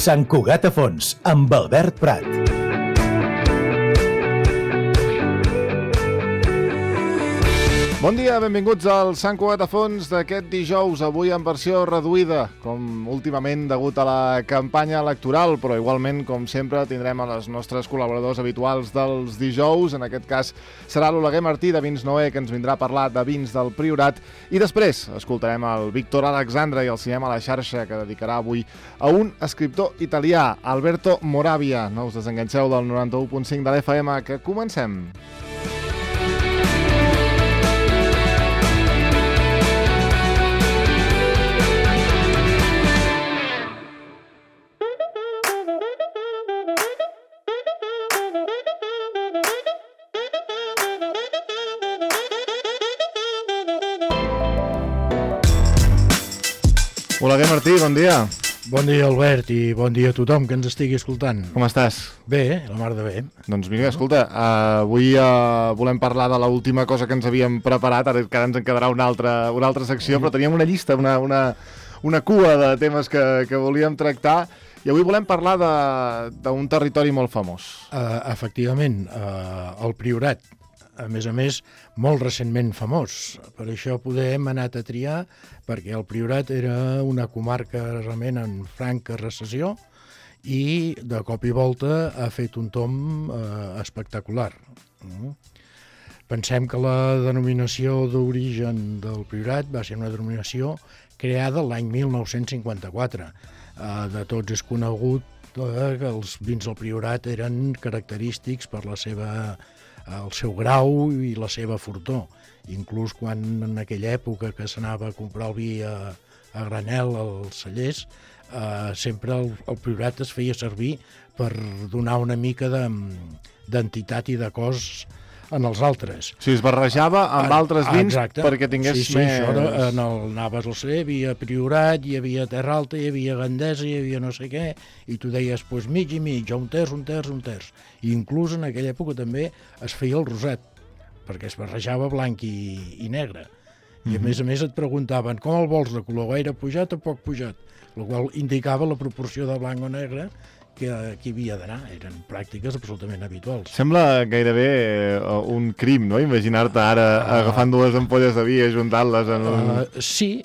Sant Cugat a Fons, amb Albert Prat. Bon dia, benvinguts al Sant Cugat a Fons d'aquest dijous, avui en versió reduïda, com últimament degut a la campanya electoral, però igualment, com sempre, tindrem a les nostres col·laboradors habituals dels dijous. En aquest cas serà l'Oleguer Martí de Vins Noé, que ens vindrà a parlar de vins del Priorat, i després escoltarem el Víctor Alexandre i el Cinema a la xarxa, que dedicarà avui a un escriptor italià, Alberto Moravia. No us desenganxeu del 91.5 de l'FM, que comencem. Oleguer Martí, bon dia. Bon dia, Albert, i bon dia a tothom que ens estigui escoltant. Com estàs? Bé, la mar de bé. Doncs mira, escolta, avui volem parlar de l'última cosa que ens havíem preparat, ara ens en quedarà una altra secció, però teníem una llista, una cua de temes que volíem tractar, i avui volem parlar d'un territori molt famós. Efectivament, el Priorat, a més, molt recentment famós. Per això hem anat a triar, perquè el Priorat era una comarca realment en franca recessió i de cop i volta ha fet un tomb espectacular. Pensem que la denominació d'origen del Priorat va ser una denominació creada l'any 1954. De tots és conegut que els vins del Priorat eren característics per el seu grau i la seva fortor. Inclús quan en aquella època que s'anava a comprar el vi a granel als cellers, sempre el Priorat es feia servir per donar una mica d'entitat i de cos en els altres. O sigui, es barrejava amb altres vins perquè tingués més... Sí, això anaves al celler, hi havia Priorat, hi havia Terra Alta, hi havia Gandesa, hi havia no sé què, i tu deies, doncs mig i mig, un terç. I inclús en aquella època també es feia el rosat, perquè es barrejava blanc i negre. I a més et preguntaven, com el vols de color, gaire pujat o poc pujat? El qual indicava la proporció de blanc o negre que hi havia d'anar. Eren pràctiques absolutament habituals. Sembla gairebé un crim, no? Imaginar-te ara agafant dues ampolles de vi i ajuntant-les en un... Sí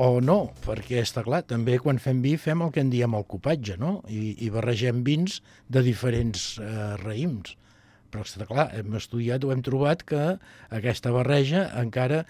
o no, perquè està clar, també quan fem vi fem el que en diem el copatge, no? I barregem vins de diferents raïms. Però està clar, hem estudiat o hem trobat que aquesta barreja encara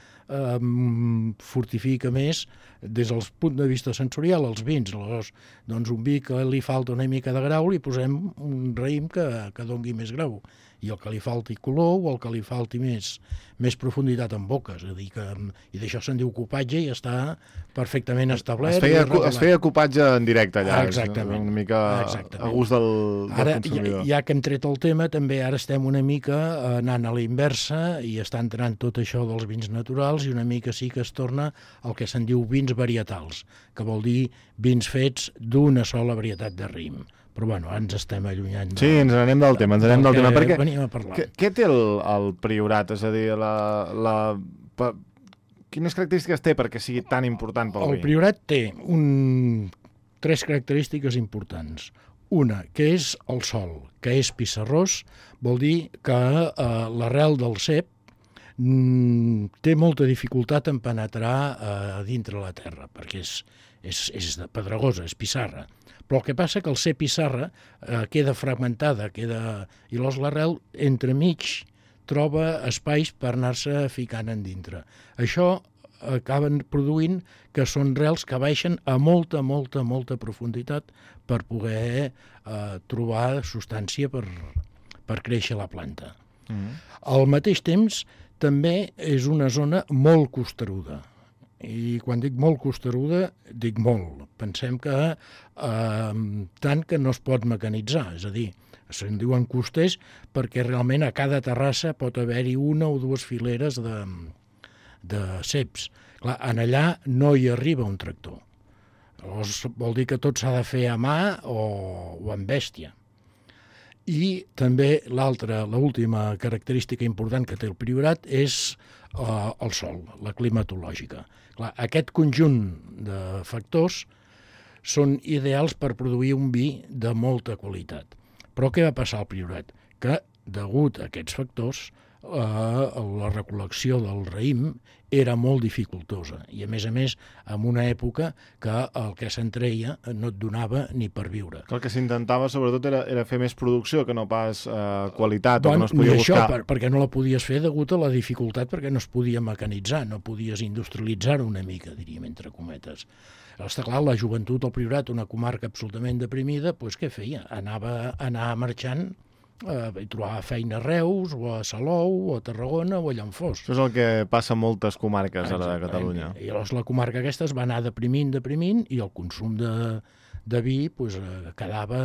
fortifica més des del punt de vista sensorial els vins. Aleshores, doncs un vi que li falta una mica de grau li posem un raïm que dongui més grau, i el que li falti color o el que li falti més profunditat en boca. És a dir, i d'això se'n diu copatge i està perfectament establert. Es feia copatge en directe allà. Exactament. Una mica a gust del consumidor. Ara, ja que hem tret el tema, també ara estem una mica anant a la inversa i està entrant tot això dels vins naturals, i una mica sí que es torna el que se'n diu vins varietals, que vol dir vins fets d'una sola varietat de raïm. Però bueno, ens estem allunyant. Sí, ens n'anem del tema, perquè venim a parlar. Què té el Priorat? És a dir, quines característiques té perquè sigui tan important pel vi? El Priorat té tres característiques importants. Una, que és el sòl, que és pissarrós, vol dir que l'arrel del cep té molta dificultat en penetrar dintre la terra, perquè és pedregosa, és pissarra. Però el que passa que el cep pissarra queda fragmentada, i l'arrel entremig troba espais per anar-se ficant en dintre. Això acaben produint que són rels que baixen a molta profunditat per poder trobar substància per créixer la planta. Al mateix temps, també és una zona molt costeruda. I quan dic molt costeruda, dic molt. Pensem que tant que no es pot mecanitzar, és a dir, se'n diuen costers perquè realment a cada terrassa pot haver-hi una o dues fileres de ceps. Clar, en allà no hi arriba un tractor. Llavors vol dir que tot s'ha de fer a mà o amb bèstia. I també l'última característica important que té el Priorat és el sòl, la climatològica. Clar, aquest conjunt de factors són ideals per produir un vi de molta qualitat. Però què va passar al Priorat? Que, degut a aquests factors, la recol·lecció del raïm era molt dificultosa i, a més, en una època que el que se'n treia no et donava ni per viure. El que s'intentava, sobretot, era fer més producció, que no pas qualitat, o que no es podia buscar. Això, perquè no la podies fer degut a la dificultat, perquè no es podia mecanitzar, no podies industrialitzar-ho una mica, diríem, entre cometes. Està clar, la joventut al Priorat, una comarca absolutament deprimida, doncs què feia? Anar marxant i trobar feina a Reus, o a Salou, o a Tarragona, o allà on fos. Això és el que passa a moltes comarques ara de Catalunya. I llavors la comarca aquesta es va anar deprimint, i el consum de vi quedava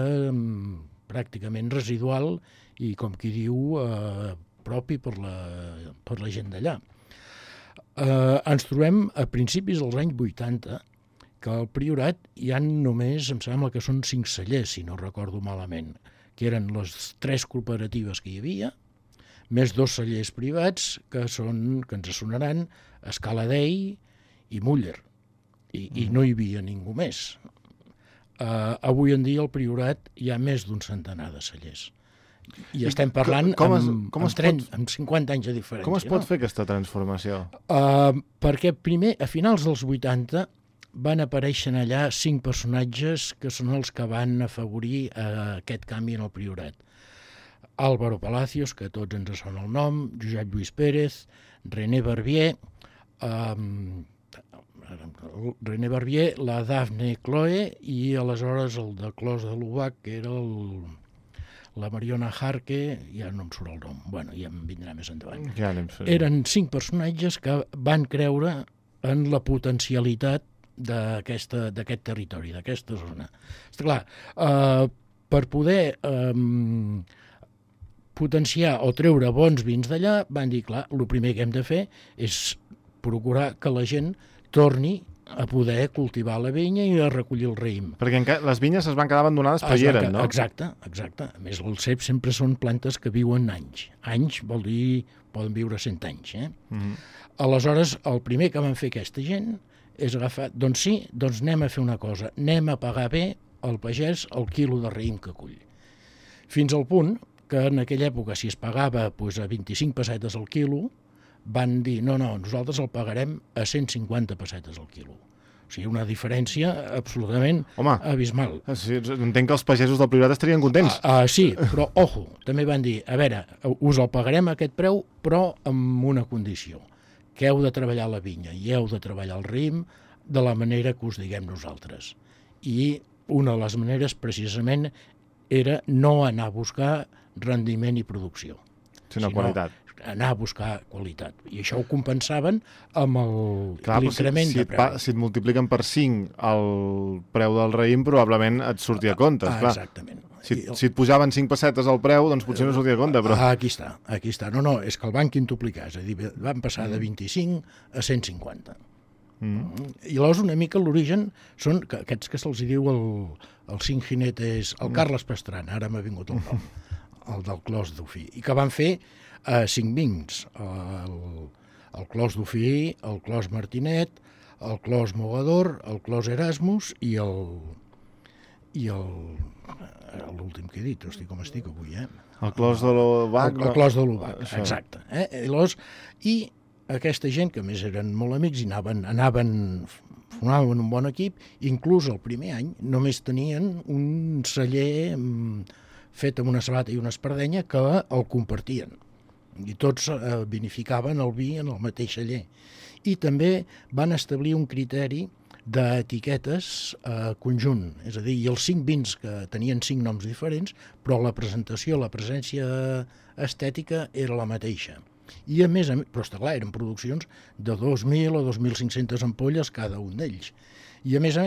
pràcticament residual i, com qui diu, propi per la gent d'allà. Ens trobem a principis dels anys 80 que al Priorat hi ha només, em sembla que són 5 cellers, si no recordo malament, que eren les 3 cooperatives que hi havia, més 2 cellers privats que ens sonaran Escala Dei i Muller, i no hi havia ningú més. Avui en dia al Priorat hi ha més d'un centenar de cellers. I estem parlant amb 50 anys de diferència. Com es pot fer aquesta transformació? Perquè primer, a finals dels 80, van aparèixer allà 5 personatges que són els que van afavorir aquest canvi en el Priorat. Álvaro Palacios, que tots ens sona el nom, Josep Lluís Pérez, René Barbier, la Dafne Cloe i aleshores el de Clos de l'Ubac, que era la Mariona Jarque, ja no em surt el nom, bueno, ja em vindrà més endavant. Eren 5 personatges que van creure en la potencialitat d'aquest territori, d'aquesta zona. Està clar, per poder potenciar o treure bons vins d'allà, van dir, clar, el primer que hem de fer és procurar que la gent torni a poder cultivar la vinya i a recollir el raïm. Perquè les vinyes es van quedar abandonades per eren, no? Exacte. A més, els ceps sempre són plantes que viuen anys. Anys vol dir, poden viure 100 anys. Aleshores, el primer que van fer aquesta gent és agafar, doncs anem a fer una cosa, anem a pagar bé al pagès el quilo de raïm que cull. Fins al punt que en aquella època, si es pagava a 25 pessetes al quilo, van dir, no, nosaltres el pagarem a 150 pessetes al quilo. O sigui, una diferència absolutament abismal. Sí, entenc que els pagesos del Priorat estarien contents. Sí, però, ojo, també van dir, a veure, us el pagarem a aquest preu, però amb una condició, que heu de treballar la vinya i heu de treballar el raïm de la manera que us diguem nosaltres. I una de les maneres, precisament, era no anar a buscar rendiment i producció, sinó qualitat. Anar a buscar qualitat. I això ho compensaven amb l'increment de preu. Si et multipliquen per 5 el preu del raïm, probablement et sortia a compte. Exactament. Si et pujaven 5 pessetes al preu, doncs potser no sortia a compte. Però... Aquí està. No, és que el van quintuplicar. És a dir, van passar de 25 a 150. I llavors una mica l'origen són aquests que se'ls diu el cinc jinetes, el Carles Pastrana, ara m'ha vingut el nom, el del Clos d'Ofí, i que van fer 5 vins, el Clos d'Ofí, el Clos Martinet, el Clos Mogador, el Clos Erasmus i l'últim que he dit, hosti, com estic avui, El Clos de l'Ubac. El Clos de l'Ubac, exacte. I aquesta gent, que més eren molt amics, i formaven un bon equip, inclús el primer any només tenien un celler fet amb una sabata i una espardenya que el compartien. I tots vinificaven el vi en el mateix celler. I també van establir un criteri d'etiquetes conjunt, és a dir, i els 5 vins que tenien 5 noms diferents, però la presentació, la presència estètica era la mateixa. I a més, però està clar, eren produccions de 2.000 o 2.500 ampolles cada un d'ells. I a més,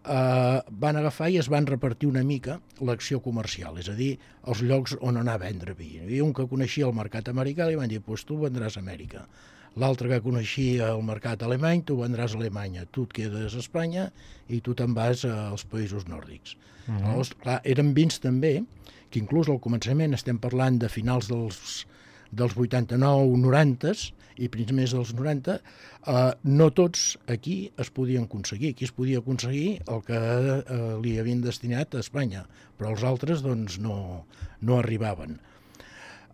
van agafar i es van repartir una mica l'acció comercial, és a dir, els llocs on anar a vendre vi. Hi havia un que coneixia el mercat americà i van dir, doncs tu vendràs a Amèrica. L'altre que coneixia el mercat alemany, tu vendràs a Alemanya, tu et quedes a Espanya i tu te'n vas als països nòrdics. Llavors, clar, eren vins també, que inclús al començament estem parlant de finals dels 89-90 i primers dels 90, no tots aquí es podien aconseguir. Aquí es podia aconseguir el que li havien destinat a Espanya, però els altres doncs, no arribaven.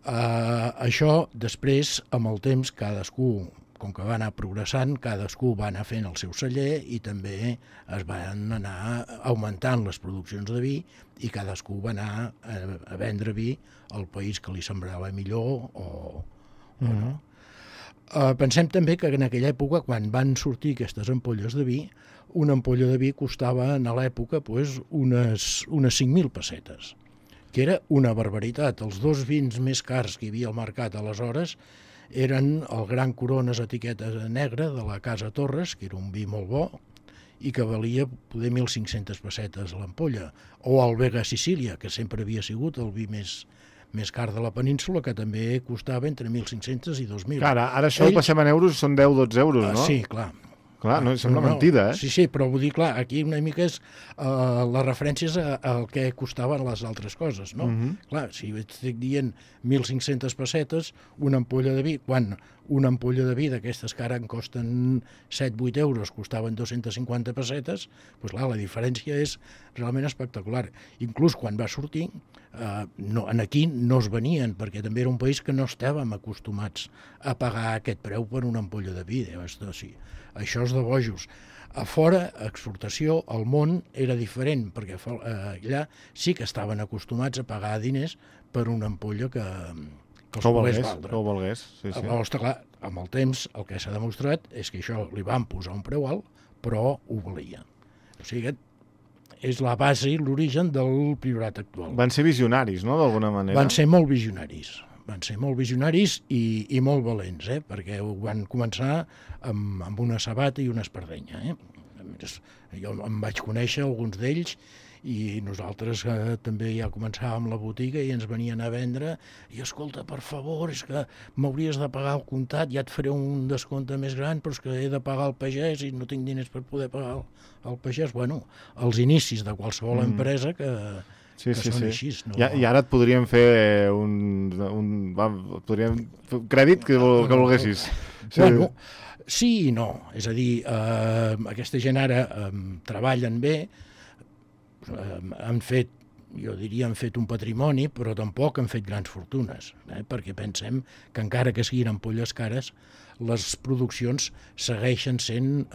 Això, després, amb el temps, cadascú, com que va anar progressant, cadascú va anar fent el seu celler i també es van anar augmentant les produccions de vi i cadascú va anar a vendre vi al país que li sembrava millor o no. Pensem també que en aquella època, quan van sortir aquestes ampolles de vi, una ampolla de vi costava en l'època unes 5.000 pessetes, que era una barbaritat. Els dos vins més cars que hi havia al mercat aleshores eren el Gran Corones etiqueta negra de la Casa Torres, que era un vi molt bo, i que valia poder 1.500 pessetes l'ampolla, o el Vega Sicília, que sempre havia sigut el vi més car de la península, que també costava entre 1.500 i 2.000. Ara això ho passem en euros, són 10-12 euros, no? Sí, clar. Clar, no, sembla mentida, eh? Sí, però vull dir, clar, aquí una mica és la referència és al que costaven les altres coses, no? Clar, si estic dient 1.500 pessetes, una ampolla de vi, quan una ampolla de vi d'aquestes que ara en costen 7-8 euros, costaven 250 pessetes, doncs clar, la diferència és realment espectacular. Inclús quan va sortir, aquí no es venien, perquè també era un país que no estàvem acostumats a pagar aquest preu per una ampolla de vi. Sí. Això és de bojos. A fora, exportació, al món era diferent, perquè allà sí que estaven acostumats a pagar diners per una ampolla que els pogués valdre. Que ho valgués, sí. Llavors, clar, amb el temps el que s'ha demostrat és que això li van posar un preu alt, però ho valia. O sigui, és la base i l'origen del priorat actual. Van ser visionaris, no?, d'alguna manera. Van ser molt visionaris. Van ser molt visionaris i molt valents, perquè ho van començar amb una sabata i una espardenya. Jo em vaig conèixer alguns d'ells i nosaltres també ja començàvem la botiga i ens venien a vendre i escolta, per favor, és que m'hauries de pagar el comptat, ja et faré un descompte més gran, però és que he de pagar el pagès i no tinc diners per poder pagar el pagès. Bueno, els inicis de qualsevol empresa que són així. No? I ara et podríem fer podríem fer un crèdit que volguessis. Bueno, sí i no. És a dir, aquesta gent ara treballen bé, han fet un patrimoni, però tampoc han fet grans fortunes, perquè pensem que encara que siguin ampolles cares, les produccions segueixen sent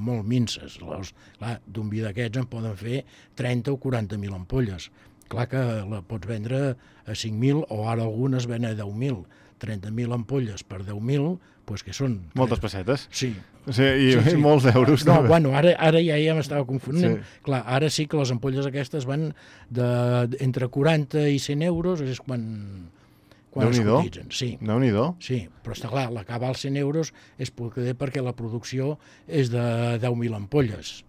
molt minces. D'un vi d'aquests en poden fer 30 o 40.000 ampolles. Clar que la pots vendre a 5.000 o ara algunes ven a 10.000. 30.000 ampolles per 10.000, doncs que són... Moltes pessetes. Sí. I molts euros. No, bueno, ara ja m'estava confonent. Clar, ara sí que les ampolles aquestes van entre 40 i 100 euros, és quan es cotitzen. Sí. Déu-n'hi-do. Sí, però està clar, l'acabar als 100 euros és perquè la producció és de 10.000 ampolles.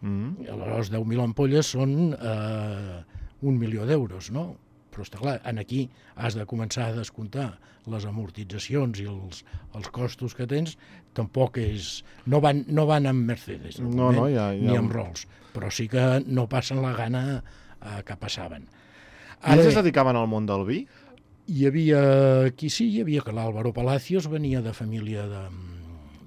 Aleshores, 10.000 ampolles són 1 milió d'euros, no? Però està clar, aquí has de començar a descomptar les amortitzacions i els costos que tens, tampoc és... No van amb Mercedes, ni amb Rolls, però sí que no passen la gana que passaven. Ells es dedicaven al món del vi? Hi havia que l'Álvaro Palacios venia de família de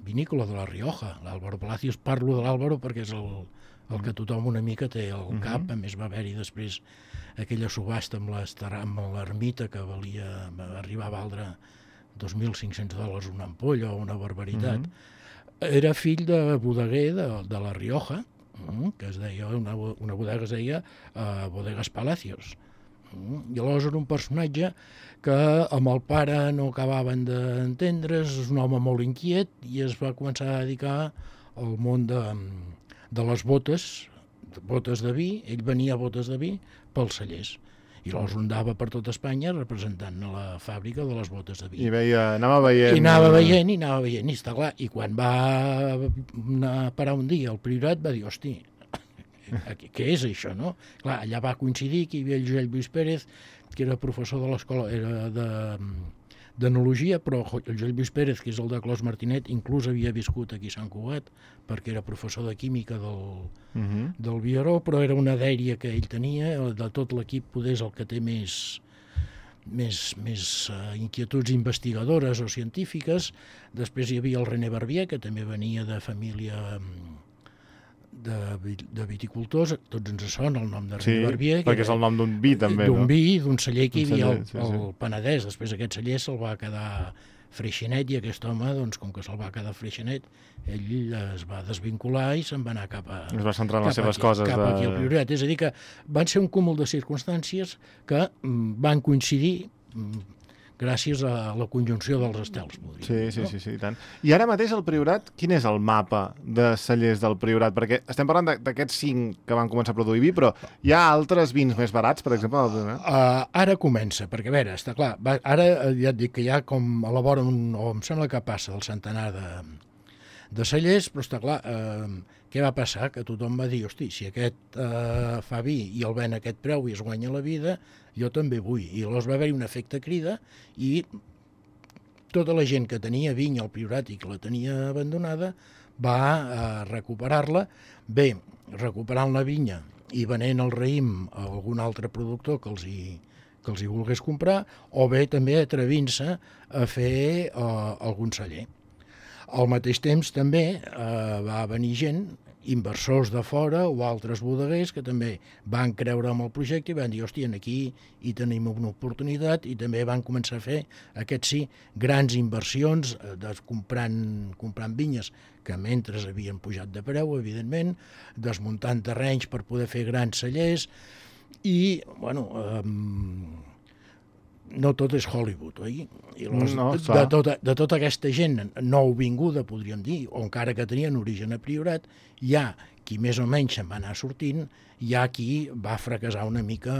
vinícola de la Rioja. L'Álvaro Palacios, parlo de l'Álvaro perquè és el que tothom una mica té al cap, a més va haver-hi després aquella subhasta amb l'ermita que arribar a valdre $2.500 una ampolla o una barbaritat. Era fill de bodeguer de la Rioja, que es deia, una bodega es deia Bodegas Palacios. I aleshores era un personatge que amb el pare no acabaven d'entendre's, és un home molt inquiet i es va començar a dedicar al món de les botes de vi. Ell venia a botes de vi pels cellers i llavors andava per tot Espanya representant a la fàbrica de les botes de vi. I anava veient... I anava veient, i està clar. I quan va anar a parar un dia al Priorat va dir, hosti, què és això, no? Clar, allà va coincidir que hi havia el Josep Lluís Pérez, que era professor de l'escola, era d'enologia, però el Josep Lluís Pérez, que és el de Clos Martinet, inclús havia viscut aquí a Sant Cugat, perquè era professor de química del Vieró, però era una dèria que ell tenia, de tot l'equip poder és el que té més inquietuds investigadores o científiques. Després hi havia el René Barbier, que també venia de família de viticultors. Tots ens sona el nom de René Barbier. Perquè és el nom d'un vi, també, no? D'un vi, d'un celler que hi havia al Penedès. Després aquest celler se'l va quedar Freixenet, i aquest home, doncs, com que se'l va quedar Freixenet, ell es va desvincular i se'n va anar cap a... Es va centrar en les seves coses. Cap aquí al Priorat. És a dir, que van ser un cúmul de circumstàncies que van coincidir gràcies a la conjunció dels estels, podríem dir. Sí, i tant. I ara mateix al Priorat, quin és el mapa de cellers del Priorat? Perquè estem parlant d'aquests 5 que van començar a produir vi, però hi ha altres vins més barats, per exemple, del Priorat? Ara comença, perquè a veure, està clar, ara ja et dic que ja com elaboren, o em sembla que passa del centenar de cellers, però està clar, què va passar? Que tothom va dir, hosti, si aquest fa vi i el ven a aquest preu i es guanya la vida, jo també vull. I llavors va haver-hi un efecte crida i tota la gent que tenia vinya al Priorat i que la tenia abandonada va recuperar-la, bé, recuperant la vinya i venent el raïm a algun altre productor que els hi volgués comprar, o bé també atrevint-se a fer algun celler. Al mateix temps també va venir gent, inversors de fora o altres bodeguers que també van creure en el projecte i van dir, hòstia, aquí hi tenim una oportunitat, i també van començar a fer, aquests sí, grans inversions, comprant vinyes que mentre havien pujat de preu, evidentment, desmuntant terrenys per poder fer grans cellers, i, bueno, no tot és Hollywood, oi? I de tota aquesta gent nouvinguda, podríem dir, o encara que tenien origen a Priorat, hi ha qui més o menys se'n va anar sortint, hi ha qui va fracassar una mica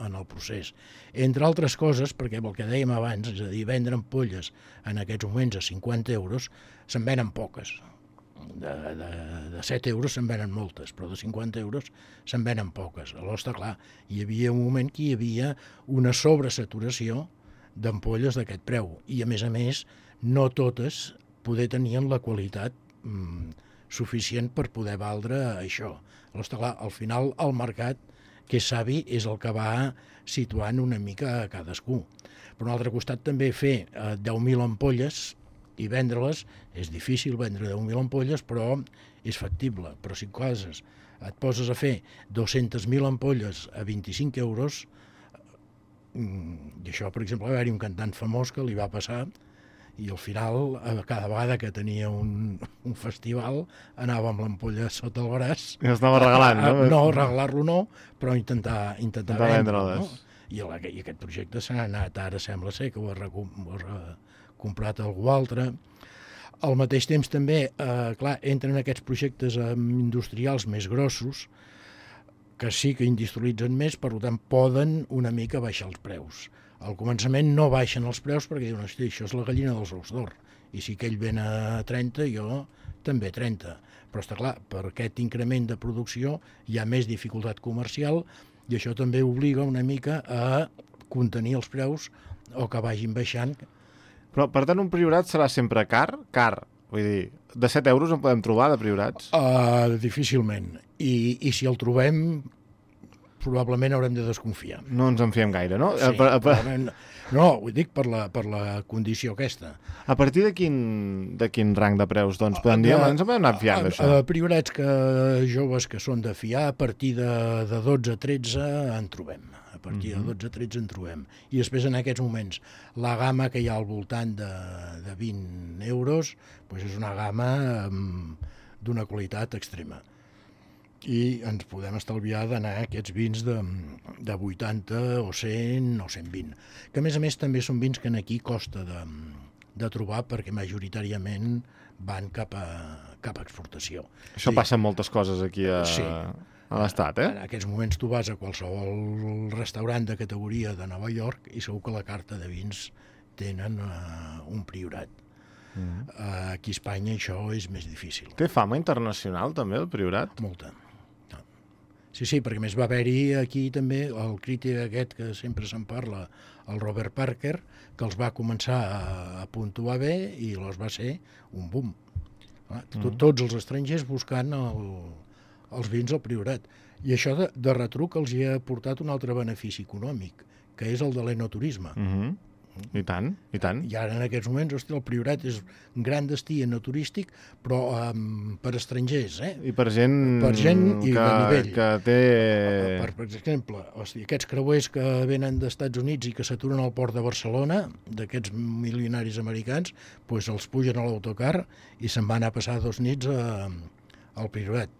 en el procés. Entre altres coses, perquè el que dèiem abans, és a dir, vendre ampolles en aquests moments a 50 euros, se'n venen poques. De 7 euros se'n venen moltes, però de 50 euros se'n venen poques. Aleshores, està clar, hi havia un moment que hi havia una sobresaturació d'ampolles d'aquest preu, i a més, no totes poder tenien la qualitat suficient per poder valdre això. Aleshores, està clar, al final el mercat, que és savi, és el que va situant una mica a cadascú. Per un altre costat, també fer 10.000 ampolles i vendre-les, és difícil vendre 10.000 ampolles, però és factible. Però si et poses a fer 200.000 ampolles a 25 euros, i això, per exemple, va haver-hi un cantant famós que li va passar, i al final, cada vegada que tenia un festival, anava amb l'ampolla sota el braç. I estava regalant, no? No, regalar-lo no, però intentar vendre-les. No? I aquest projecte s'ha anat, ara sembla ser que ho ha comprat algú altre. Al mateix temps també, clar, entren aquests projectes industrials més grossos, que sí que industrialitzen més, per tant poden una mica baixar els preus. Al començament no baixen els preus perquè diuen, hosti, això és la gallina dels ous d'or, i si aquell ven a 30, jo també 30. Però està clar, per aquest increment de producció hi ha més dificultat comercial, i això també obliga una mica a contenir els preus o que vagin baixant. Però, per tant, un Priorat serà sempre car? Car. Vull dir, de 7 euros en podem trobar, de Priorats? Difícilment. I si el trobem, probablement haurem de desconfiar. No ens en fiem gaire, no? Sí, no, ho dic per la condició aquesta. A partir de quin rang de preus, doncs, podem dir, ens en podem anar fiant d'això? Priorats joves que són de fiar, a partir de 12-13 en trobem. A partir de 12-13 en trobem. I després, en aquests moments, la gamma que hi ha al voltant de 20 euros doncs és una gamma d'una qualitat extrema. I ens podem estalviar d'anar a aquests vins de 80 o 100 o 120. Que, a més, també són vins que aquí costa de trobar perquè majoritàriament van cap a exportació. Això passa en moltes coses aquí a l'Estat, eh? En aquests moments tu vas a qualsevol restaurant de categoria de Nova York i segur que la carta de vins tenen un Priorat. Aquí a Espanya això és més difícil. Té fama internacional també el Priorat? Molta. Sí, perquè més va haver-hi aquí també el crític aquest que sempre se'n parla, el Robert Parker, que els va començar a puntuar bé i els va ser un boom. Tots els estrangers buscant els vins al Priorat. I això de retruc els hi ha portat un altre benefici econòmic, que és el de l'enoturisme. I tant, i tant. I ara en aquests moments, hosti, el Priorat és un gran destí enoturístic, però per estrangers, I per gent, i de nivell. Que té... Per exemple, hosti, aquests creuers que venen d'Estats Units i que s'aturen al port de Barcelona, d'aquests milionaris americans, doncs els pugen a l'autocar i se'n van a passar 2 nits al Priorat.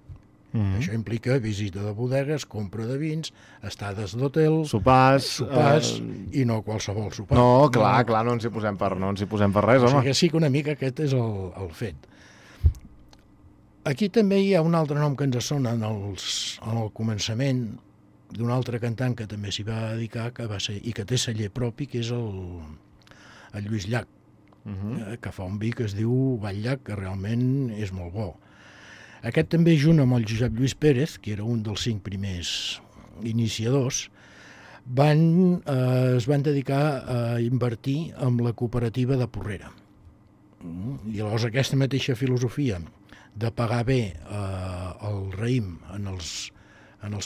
Això implica visita de bodegues, compra de vins, estades d'hotel, sopars i no qualsevol sopar. No, clar, no ens hi posem per res, home. O sigui que sí que una mica aquest és el fet. Aquí també hi ha un altre nom que ens sona en el començament d'un altre cantant que també s'hi va dedicar, que va ser, i que té celler propi, que és el Lluís Llach, que fa un vi que es diu Batllach, que realment és molt bo. Aquest també, junt amb el Josep Lluís Pérez, que era un dels 5 primers iniciadors, es van dedicar a invertir en la cooperativa de Porrera. I llavors aquesta mateixa filosofia de pagar bé el raïm en els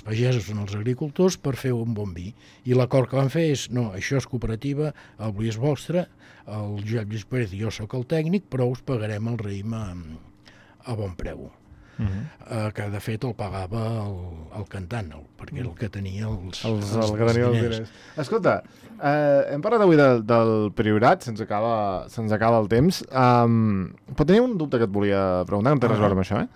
pagesos, en els agricultors, per fer un bon vi. I l'acord que van fer és, no, això és cooperativa, el vi és vostre, el Josep Lluís Pérez i jo sóc el tècnic, però us pagarem el raïm a bon preu. Que de fet el pagava el cantant, perquè era el que tenia els diners. Escolta, hem parlat avui del Priorat, se'ns acaba el temps, però tenia un dubte que et volia preguntar, no té res a veure amb això,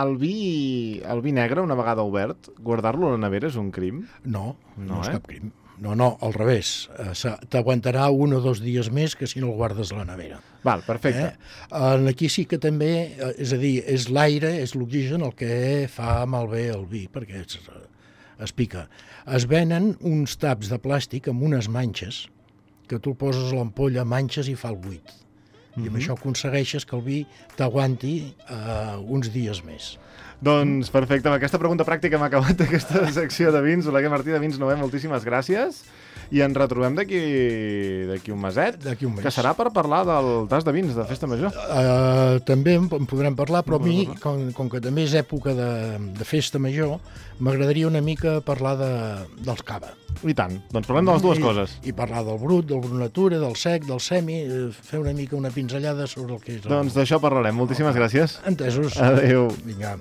El vi negre, una vegada obert, guardar-lo a la nevera és un crim? No és cap crim. No, al revés. T'aguantarà 1 o 2 dies més que si no el guardes a la nevera. Val, perfecte. Aquí sí que també, és a dir, és l'aire, és l'oxigen el que fa malbé el vi, perquè es pica. Es venen uns taps de plàstic amb unes manxes, que tu el poses a l'ampolla, manxes i fa el buit. I amb això aconsegueixes que el vi t'aguanti uns dies més. Doncs perfecte, amb aquesta pregunta pràctica hem acabat aquesta secció de vins. Oleguer Martí de Vins Noè, moltíssimes gràcies. I ens retrobem d'aquí un meset, que serà per parlar del tas de vins de Festa Major. També en podrem parlar, però a mi, com que també és època de Festa Major, m'agradaria una mica parlar dels cava. I tant, doncs parlem de les dues coses. I parlar del brut natura, del sec, del semi, fer una mica una pinzellada sobre el que és... Doncs d'això parlarem. Moltíssimes gràcies. Entesos. Adéu. Vinga.